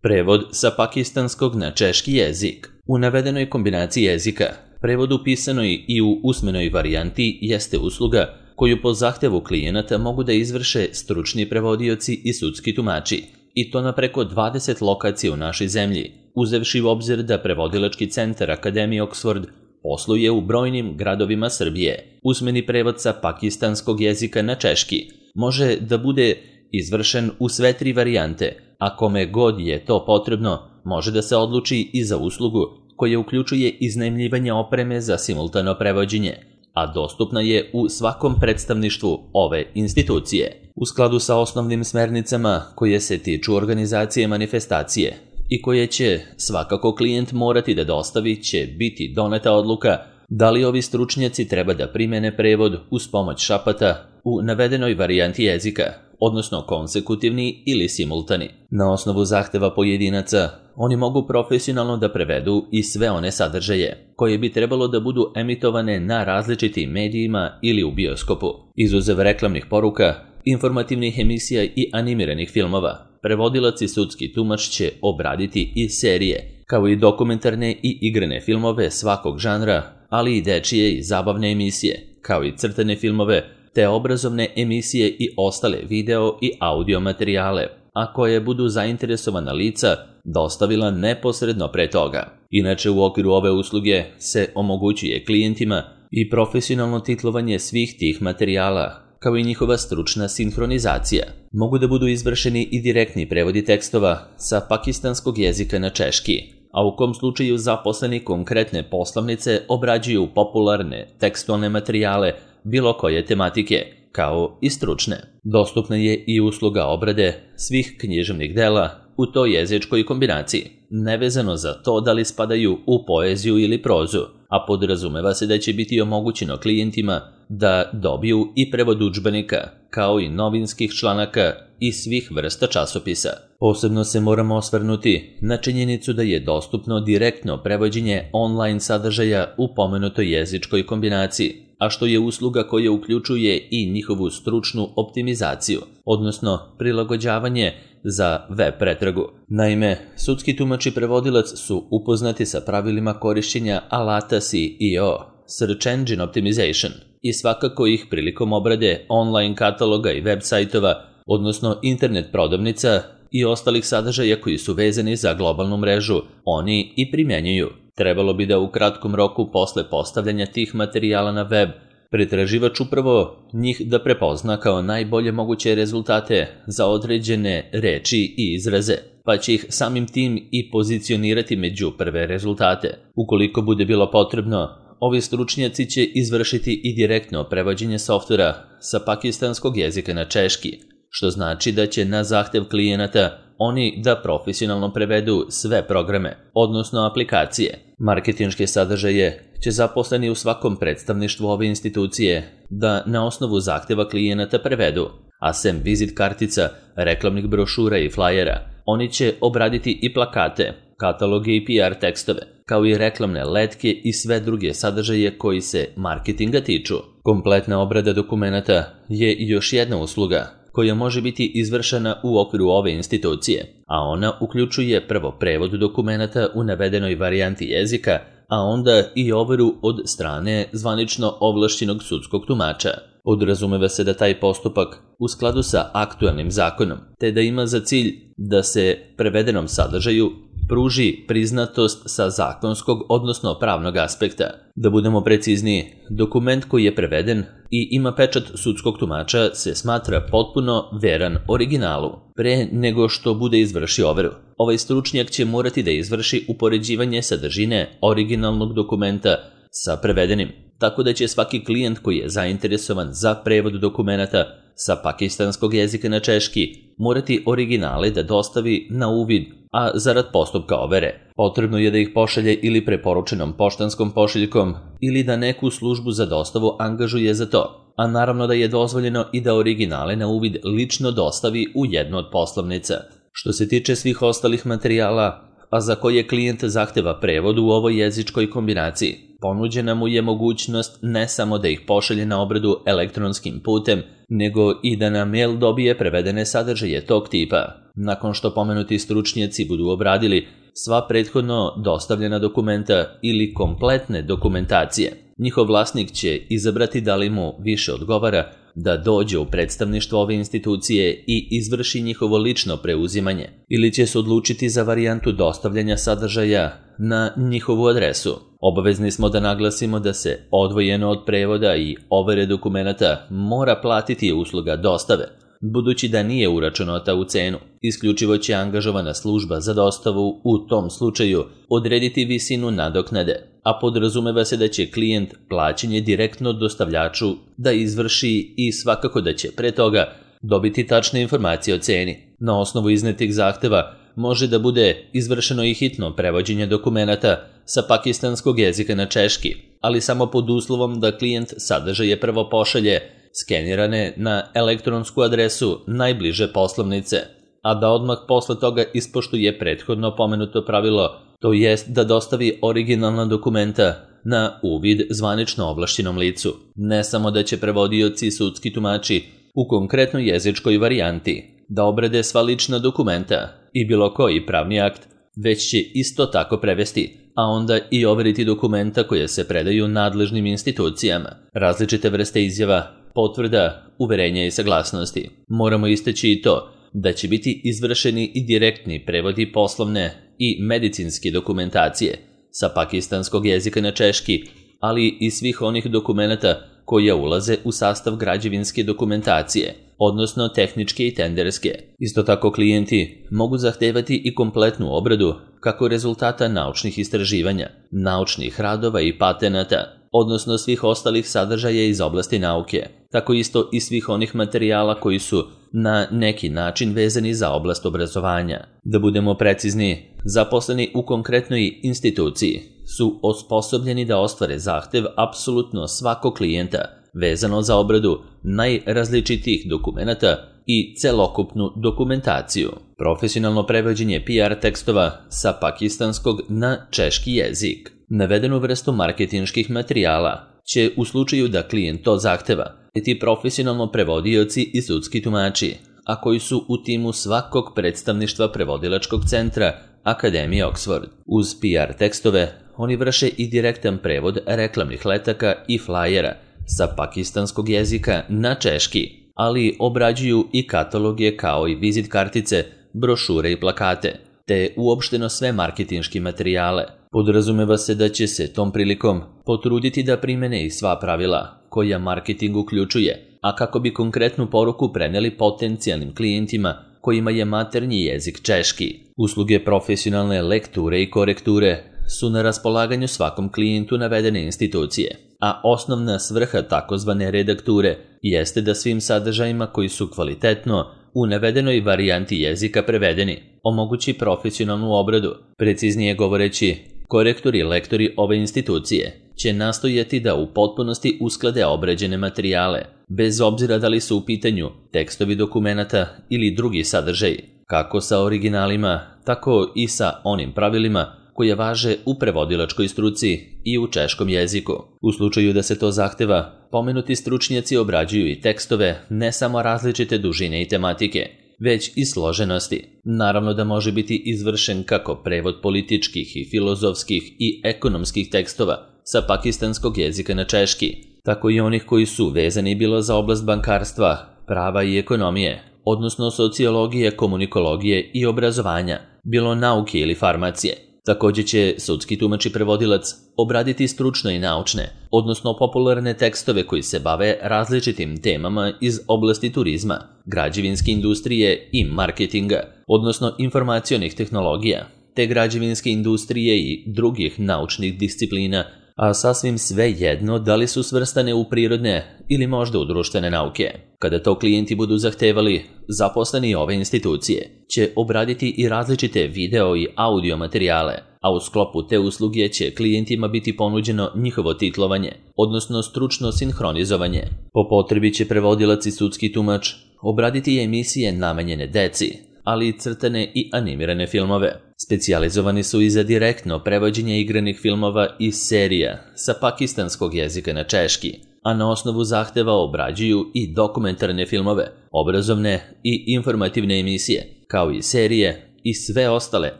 Prevod sa pakistanskog na češki jezik. U navedenoj kombinaciji jezika, prevod u pisanoj i u usmenoj varijanti jeste usluga koju po zahtevu klijenata mogu da izvrše stručni prevodioci i sudski tumači, i to na preko 20 lokacija u našoj zemlji, uzevši u obzir da prevodilački centar Akademije Oxford posluje u brojnim gradovima Srbije. Usmeni prevod sa pakistanskog jezika na češki može da bude izvršen u sve 3 varijante, a kome god je to potrebno može da se odluči i za uslugu koja uključuje iznajmljivanje opreme za simultano prevođenje, a dostupna je u svakom predstavništvu ove institucije. U skladu sa osnovnim smernicama koje se tiču organizacije manifestacije i koje će svakako klijent morati da dostavi, će biti doneta odluka da li ovi stručnjaci treba da primene prevod uz pomoć šapata u navedenoj varijanti jezika, odnosno konsekutivni ili simultani. Na osnovu zahteva pojedinaca, oni mogu profesionalno da prevedu i sve one sadržaje koje bi trebalo da budu emitovane na različitim medijima ili u bioskopu. Izuzev reklamnih poruka, informativnih emisija i animiranih filmova, prevodilac i sudski tumač će obraditi i serije, kao i dokumentarne i igrane filmove svakog žanra, ali i dečije i zabavne emisije, kao i crtane filmove, te obrazovne emisije i ostale video i audio materijale, a koje budu zainteresovana lica dostavila neposredno pre toga. Inače, u okviru ove usluge se omogućuje klijentima i profesionalno titlovanje svih tih materijala, kao i njihova stručna sinhronizacija. Mogu da budu izvršeni i direktni prevodi tekstova sa pakistanskog jezika na češki, a u kom slučaju zaposleni konkretne poslovnice obrađuju popularne tekstualne materijale bilo koje tematike, kao i stručne. Dostupna je i usluga obrade svih književnih dela u toj jezičkoj kombinaciji, nevezano za to da li spadaju u poeziju ili prozu, a podrazumeva se da će biti omogućeno klijentima da dobiju i prevod udžbenika, kao i novinskih članaka i svih vrsta časopisa. Posebno se moramo osvrnuti na činjenicu da je dostupno direktno prevođenje online sadržaja u pomenutoj jezičkoj kombinaciji, a što je usluga koja uključuje i njihovu stručnu optimizaciju, odnosno prilagođavanje za web pretragu. Naime, sudski tumač i prevodilac su upoznati sa pravilima korišćenja alata SEO, Search Engine Optimization, i svakako ih prilikom obrade online kataloga i web sajtova, odnosno internet prodavnica i ostalih sadržaja koji su vezani za globalnu mrežu, oni i primjenjuju. Trebalo bi da u kratkom roku posle postavljanja tih materijala na web, pretraživač upravo njih da prepozna kao najbolje moguće rezultate za određene reči i izraze, pa će ih samim tim i pozicionirati među prve rezultate. Ukoliko bude bilo potrebno, ovi stručnjaci će izvršiti i direktno prevođenje softvera sa pakistanskog jezika na češki, što znači da će na zahtev klijenata oni da profesionalno prevedu sve programe, odnosno aplikacije. Marketinške sadržaje će zaposleni u svakom predstavništvu ove institucije da na osnovu zahteva klijenata prevedu, a sem vizit kartica, reklamnih brošura i flajera, oni će obraditi i plakate, kataloge i PR tekstove, kao i reklamne letke i sve druge sadržaje koji se marketinga tiču. Kompletna obrada dokumenata je još jedna usluga koja može biti izvršena u okviru ove institucije, a ona uključuje prvo prevod dokumenata u navedenoj varijanti jezika, a onda i overu od strane zvanično ovlašćenog sudskog tumača. Podrazumeva se da taj postupak u skladu sa aktuelnim zakonom, te da ima za cilj da se prevedenom sadržaju pruži priznatost sa zakonskog, odnosno pravnog aspekta. Da budemo precizniji, dokument koji je preveden i ima pečat sudskog tumača se smatra potpuno veran originalu, pre nego što bude izvršio overu. Ovaj stručnjak će morati da izvrši upoređivanje sadržine originalnog dokumenta sa prevedenim, tako da će svaki klijent koji je zainteresovan za prevod dokumenata sa pakistanskog jezika na češki morati originale da dostavi na uvid, a zarad postupka overe potrebno je da ih pošalje ili preporučenom poštanskom pošiljkom ili da neku službu za dostavu angažuje za to, a naravno da je dozvoljeno i da originale na uvid lično dostavi u jednu od poslovnica. Što se tiče svih ostalih materijala, a za koje klijent zahteva prevod u ovoj jezičkoj kombinaciji, ponuđena mu je mogućnost ne samo da ih pošalje na obradu elektronskim putem, nego i da na mail dobije prevedene sadržaje tog tipa, nakon što pomenuti stručnjaci budu obradili sva prethodno dostavljena dokumenta ili kompletne dokumentacije. Njihov vlasnik će izabrati da li mu više odgovara da dođe u predstavništvo ove institucije i izvrši njihovo lično preuzimanje, ili će se odlučiti za varijantu dostavljanja sadržaja na njihovu adresu. Obavezni smo da naglasimo da se odvojeno od prevoda i overe dokumenata mora platiti usluga dostave, budući da nije uračunata u cenu. Isključivo će angažovana služba za dostavu u tom slučaju odrediti visinu nadoknade, a podrazumeva se da će klijent plaćanje direktno dostavljaču da izvrši i svakako da će pre toga dobiti tačne informacije o ceni. Na osnovu iznetih zahteva može da bude izvršeno i hitno prevođenje dokumenata sa pakistanskog jezika na češki, ali samo pod uslovom da klijent sadržaje prvo pošalje skenirane na elektronsku adresu najbliže poslovnice, a da odmah posle toga ispoštuje prethodno pomenuto pravilo, to jest da dostavi originalna dokumenta na uvid zvanično ovlašćenom licu. Ne samo da će prevodioci i sudski tumači u konkretnoj jezičkoj varijanti da obrade sva lična dokumenta i bilo koji pravni akt, već će isto tako prevesti, a onda i overiti dokumenta koje se predaju nadležnim institucijama, različite vrste izjava, potvrda, uverenja i saglasnosti. Moramo istaći i to da će biti izvršeni i direktni prevodi poslovne i medicinske dokumentacije sa pakistanskog jezika na češki, ali i svih onih dokumenata koja ulaze u sastav građevinske dokumentacije, odnosno tehničke i tenderske. Isto tako klijenti mogu zahtevati i kompletnu obradu kako rezultata naučnih istraživanja, naučnih radova i patenata, odnosno svih ostalih sadržaja iz oblasti nauke, tako isto i svih onih materijala koji su na neki način vezani za oblast obrazovanja. Da budemo precizni, zaposleni u konkretnoj instituciji su osposobljeni da ostvare zahtev apsolutno svakog klijenta vezano za obradu najrazličitijih dokumenata i celokupnu dokumentaciju. Profesionalno prevođenje PR tekstova sa pakistanskog na češki jezik. Navedenu vrstu marketinških materijala će u slučaju da klijent to zahteva biti profesionalno prevodioci i sudski tumači, a koji su u timu svakog predstavništva prevodilačkog centra Akademije Oxford. Uz PR tekstove oni vrše i direktan prevod reklamnih letaka i flajera sa pakistanskog jezika na češki, ali obrađuju i kataloge kao i vizit kartice, brošure i plakate, te uopšteno sve marketinške materijale. Podrazumeva se da će se tom prilikom potruditi da primene i sva pravila koja marketing uključuje, a kako bi konkretnu poruku preneli potencijalnim klijentima kojima je maternji jezik češki. Usluge profesionalne lekture i korekture su na raspolaganju svakom klijentu navedene institucije, a osnovna svrha takozvane redakture jeste da svim sadržajima koji su kvalitetno u navedenoj varijanti jezika prevedeni omogući profesionalnu obradu. Preciznije govoreći, korektori i lektori ove institucije će nastojati da u potpunosti usklade obrađene materijale, bez obzira da li su u pitanju tekstovi dokumenata ili drugi sadržaji, kako sa originalima, tako i sa onim pravilima koje važe u prevodilačkoj struci i u češkom jeziku. U slučaju da se to zahteva, pomenuti stručnjaci obrađuju i tekstove ne samo različite dužine i tematike, već i složenosti. Naravno da može biti izvršen kako prevod političkih i filozofskih i ekonomskih tekstova sa pakistanskog jezika na češki, tako i onih koji su vezani bilo za oblast bankarstva, prava i ekonomije, odnosno sociologije, komunikologije i obrazovanja, bilo nauke ili farmacije. Također će sudski tumač i prevodilac obraditi stručne i naučne, odnosno popularne tekstove koji se bave različitim temama iz oblasti turizma, građevinske industrije i marketinga, odnosno informacionih tehnologija, te građevinske industrije i drugih naučnih disciplina, a sasvim sve jedno da li su svrstane u prirodne ili možda u društvene nauke. Kada to klijenti budu zahtevali, zaposleni ove institucije će obraditi i različite video i audio materijale, a u sklopu te usluge će klijentima biti ponuđeno njihovo titlovanje, odnosno stručno sinhronizovanje. Po potrebi će prevodilac i sudski tumač obraditi emisije namenjene deci, ali i crtane i animirane filmove. Specijalizovani su i za direktno prevođenje igranih filmova i serija sa pakistanskog jezika na češki, a na osnovu zahteva obrađuju i dokumentarne filmove, obrazovne i informativne emisije, kao i serije i sve ostale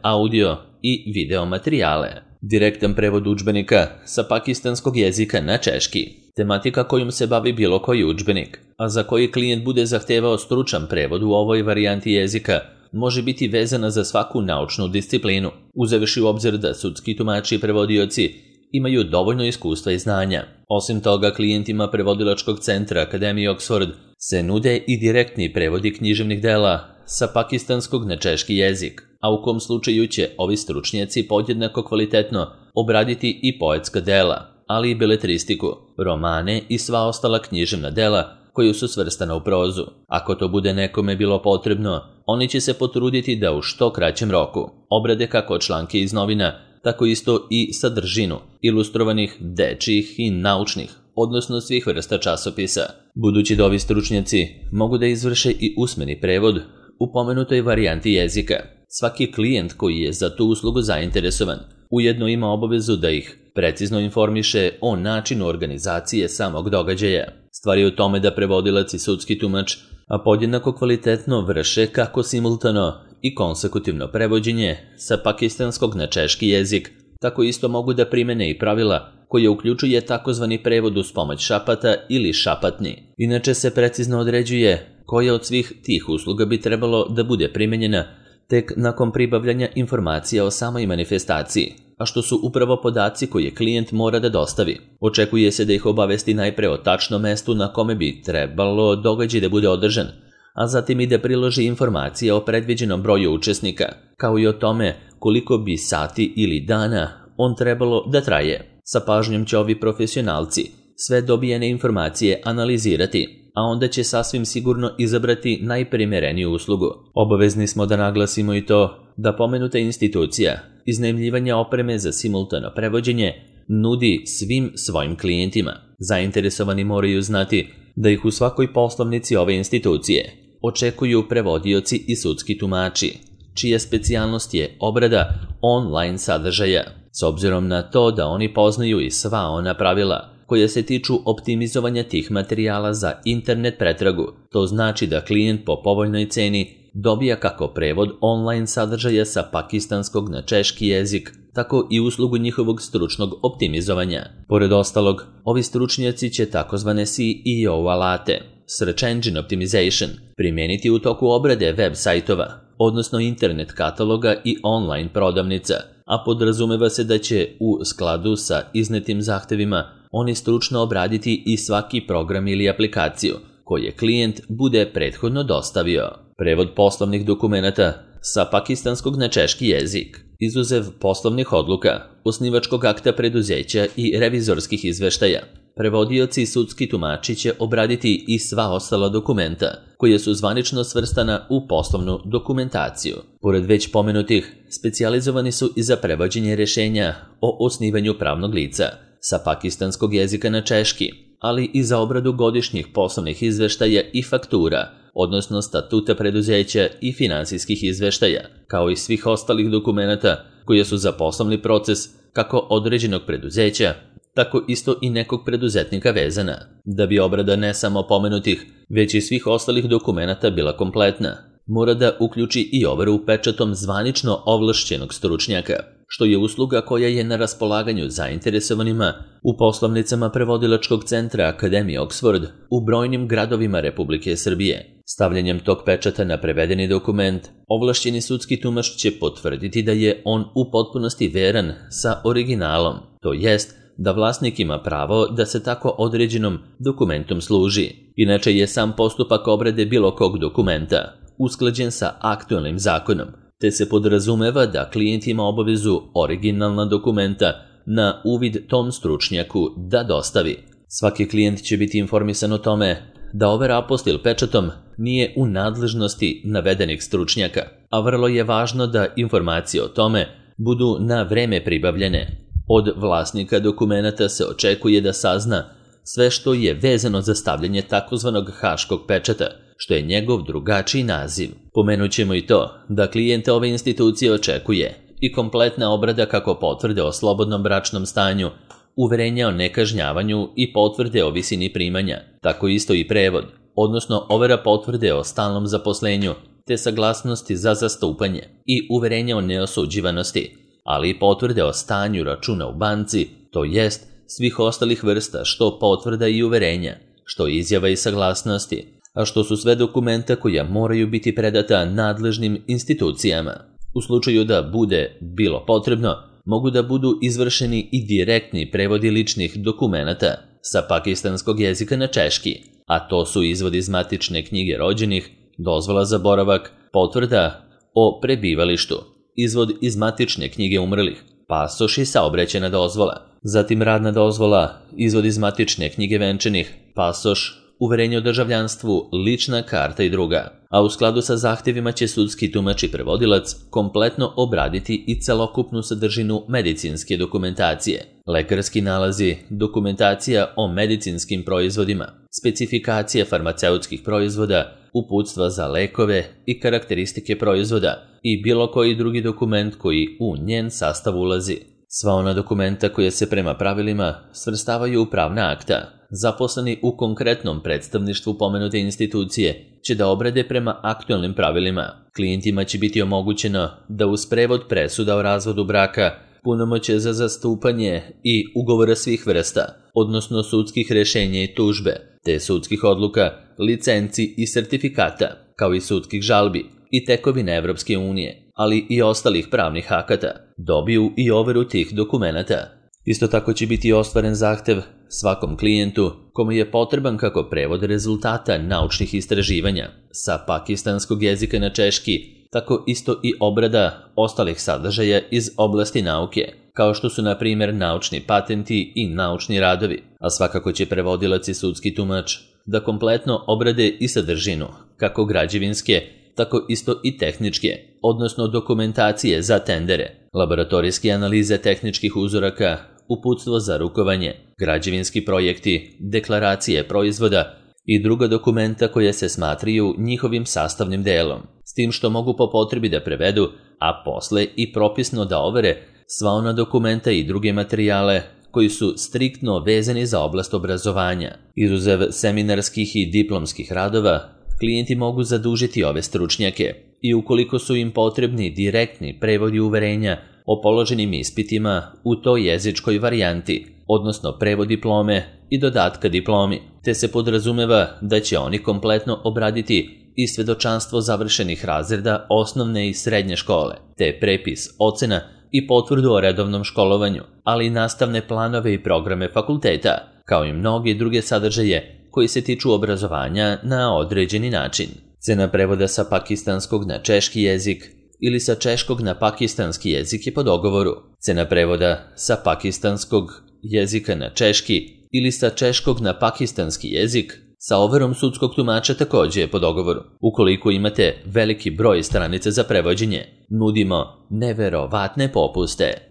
audio i video materijale. Direktan prevod udžbenika sa pakistanskog jezika na češki, tematika kojom se bavi bilo koji udžbenik, a za koji klijent bude zahtevao stručan prevod u ovoj varijanti jezika, može biti vezana za svaku naučnu disciplinu, uzevši u obzir da sudski tumači i prevodioci imaju dovoljno iskustva i znanja. Osim toga, klijentima prevodilačkog centra Akademije Oxford se nude i direktni prevodi književnih dela sa pakistanskog na češki jezik, a u kom slučaju će ovi stručnjaci podjednako kvalitetno obraditi i poetska dela, ali i beletristiku, romane i sva ostala književna dela koju su svrstana u prozu. Ako to bude nekome bilo potrebno, oni će se potruditi da u što kraćem roku obrade kako članke iz novina, tako isto i sadržinu ilustrovanih, dečjih i naučnih, odnosno svih vrsta časopisa. Budući da ovi stručnjaci mogu da izvrše i usmeni prevod u pomenutoj varijanti jezika, svaki klijent koji je za tu uslugu zainteresovan ujedno ima obavezu da ih precizno informiše o načinu organizacije samog događaja. Stvar je u tome da prevodilac i sudski tumač podjednako kvalitetno vrše kako simultano i konsekutivno prevođenje sa pakistanskog na češki jezik, tako isto mogu da primene i pravila koje uključuje takozvani prevod uz pomoć šapata ili šapatni. Inače se precizno određuje koja od svih tih usluga bi trebalo da bude primenjena tek nakon pribavljanja informacija o samoj manifestaciji, a što su upravo podaci koje klijent mora da dostavi. Očekuje se da ih obavesti najpre o tačnom mestu na kome bi trebalo događaj da bude održan, a zatim i da priloži informacije o predviđenom broju učesnika, kao i o tome koliko bi sati ili dana on trebalo da traje. Sa pažnjom će ovi profesionalci sve dobijene informacije analizirati, a onda će sasvim sigurno izabrati najprimereniju uslugu. Obavezni smo da naglasimo i to da pomenuta institucija iznajmljivanja opreme za simultano prevođenje nudi svim svojim klijentima. Zainteresovani moraju znati da ih u svakoj poslovnici ove institucije očekuju prevodioci i sudski tumači, čija specijalnost je obrada online sadržaja, s obzirom na to da oni poznaju i sva ona pravila koje se tiču optimizovanja tih materijala za internet pretragu. To znači da klijent po povoljnoj ceni dobija kako prevod online sadržaja sa pakistanskog na češki jezik, tako i uslugu njihovog stručnog optimizovanja. Pored ostalog, ovi stručnjaci će takozvane SEO alate, Search Engine Optimization, primijeniti u toku obrade web sajtova, odnosno internet kataloga i online prodavnica, a podrazumeva se da će u skladu sa iznetim zahtevima oni stručno obraditi i svaki program ili aplikaciju koje klijent bude prethodno dostavio. Prevod poslovnih dokumenata sa pakistanskog na češki jezik, izuzev poslovnih odluka, osnivačkog akta preduzeća i revizorskih izveštaja, prevodioci i sudski tumači će obraditi i sva ostala dokumenta koje su zvanično svrstana u poslovnu dokumentaciju. Pored već pomenutih, specijalizovani su i za prevođenje rješenja o osnivanju pravnog lica sa pakistanskog jezika na češki, ali i za obradu godišnjih poslovnih izveštaja i faktura, odnosno statuta preduzeća i finansijskih izveštaja, kao i svih ostalih dokumenata koje su za poslovni proces kako određenog preduzeća, tako isto i nekog preduzetnika vezana. Da bi obrada ne samo pomenutih, već i svih ostalih dokumenata bila kompletna, mora da uključi i overu pečatom zvanično ovlašćenog stručnjaka, što je usluga koja je na raspolaganju zainteresovanima u poslovnicama prevodilačkog centra Akademije Oxford u brojnim gradovima Republike Srbije. Stavljanjem tog pečata na prevedeni dokument, ovlašćeni sudski tumač će potvrditi da je on u potpunosti veran sa originalom, to jest da vlasnik ima pravo da se tako određenom dokumentom služi. Inače je sam postupak obrade bilo kog dokumenta usklađen sa aktualnim zakonom, te se podrazumeva da klijent ima obavezu originalna dokumenta na uvid tom stručnjaku da dostavi. Svaki klijent će biti informisan o tome da overa apostil pečatom nije u nadležnosti navedenih stručnjaka, a vrlo je važno da informacije o tome budu na vreme pribavljene. Od vlasnika dokumenata se očekuje da sazna sve što je vezano za stavljanje takozvanog haškog pečata, što je njegov drugačiji naziv. Pomenut ćemo i to da klijente ove institucije očekuje i kompletna obrada kako potvrde o slobodnom bračnom stanju, uverenja o nekažnjavanju i potvrde o visini primanja, tako isto i prevod, odnosno overa potvrde o stalnom zaposlenju, te saglasnosti za zastupanje i uverenja o neosuđivanosti, ali i potvrde o stanju računa u banci, to jest svih ostalih vrsta što potvrda i uverenja, što izjava i saglasnosti, a što su sve dokumenta koja moraju biti predata nadležnim institucijama. U slučaju da bude bilo potrebno, mogu da budu izvršeni i direktni prevodi ličnih dokumenata sa pakistanskog jezika na češki, a to su izvod iz matične knjige rođenih, dozvola za boravak, potvrda o prebivalištu, izvod iz matične knjige umrlih, pasoš i saobraćajna dozvola, zatim radna dozvola, izvod iz matične knjige venčanih, pasoš, uverenje o državljanstvu, lična karta i druga, a u skladu sa zahtjevima će sudski tumač i prevodilac kompletno obraditi i celokupnu sadržinu medicinske dokumentacije, lekarski nalazi, dokumentacija o medicinskim proizvodima, specifikacije farmaceutskih proizvoda, uputstva za lekove i karakteristike proizvoda i bilo koji drugi dokument koji u njen sastav ulazi. Sva ona dokumenta koja se prema pravilima svrstavaju u pravna akta, zaposleni u konkretnom predstavništvu pomenute institucije će da obrade prema aktualnim pravilima. Klijentima će biti omogućeno da uz prevod presuda o razvodu braka, punomoćje za zastupanje i ugovora svih vrsta, odnosno sudskih rješenja i tužbe, te sudskih odluka, licenci i sertifikata, kao i sudskih žalbi i tekovine Evropske unije, ali i ostalih pravnih akata, dobiju i overu tih dokumenata. Isto tako će biti ostvaren zahtev svakom klijentu kome je potreban kako prevod rezultata naučnih istraživanja sa pakistanskog jezika na češki, tako isto i obrada ostalih sadržaja iz oblasti nauke, kao što su na primjer naučni patenti i naučni radovi, a svakako će prevodilac i sudski tumač da kompletno obrade i sadržinu, kako građevinske, tako isto i tehničke, odnosno dokumentacije za tendere, laboratorijske analize tehničkih uzoraka, uputstvo za rukovanje, građevinski projekti, deklaracije proizvoda i druga dokumenta koja se smatraju njihovim sastavnim delom, s tim što mogu po potrebi da prevedu, a posle i propisno da overe sva ona dokumenta i druge materijale koji su striktno vezani za oblast obrazovanja. Izuzev seminarskih i diplomskih radova, klijenti mogu zadužiti ove stručnjake i ukoliko su im potrebni direktni prevodi uverenja o položenim ispitima u toj jezičkoj varijanti, odnosno prevod diplome i dodatka diplomi, te se podrazumeva da će oni kompletno obraditi i svedočanstvo završenih razreda osnovne i srednje škole, te prepis ocena i potvrdu o redovnom školovanju, ali i nastavne planove i programe fakulteta, kao i mnoge druge sadržaje koji se tiču obrazovanja na određeni način. Cena prevoda sa pakistanskog na češki jezik ili sa češkog na pakistanski jezik je po dogovoru. Cena prevoda sa pakistanskog jezika na češki ili sa češkog na pakistanski jezik sa overom sudskog tumača također je po dogovoru. Ukoliko imate veliki broj stranica za prevođenje, nudimo neverovatne popuste.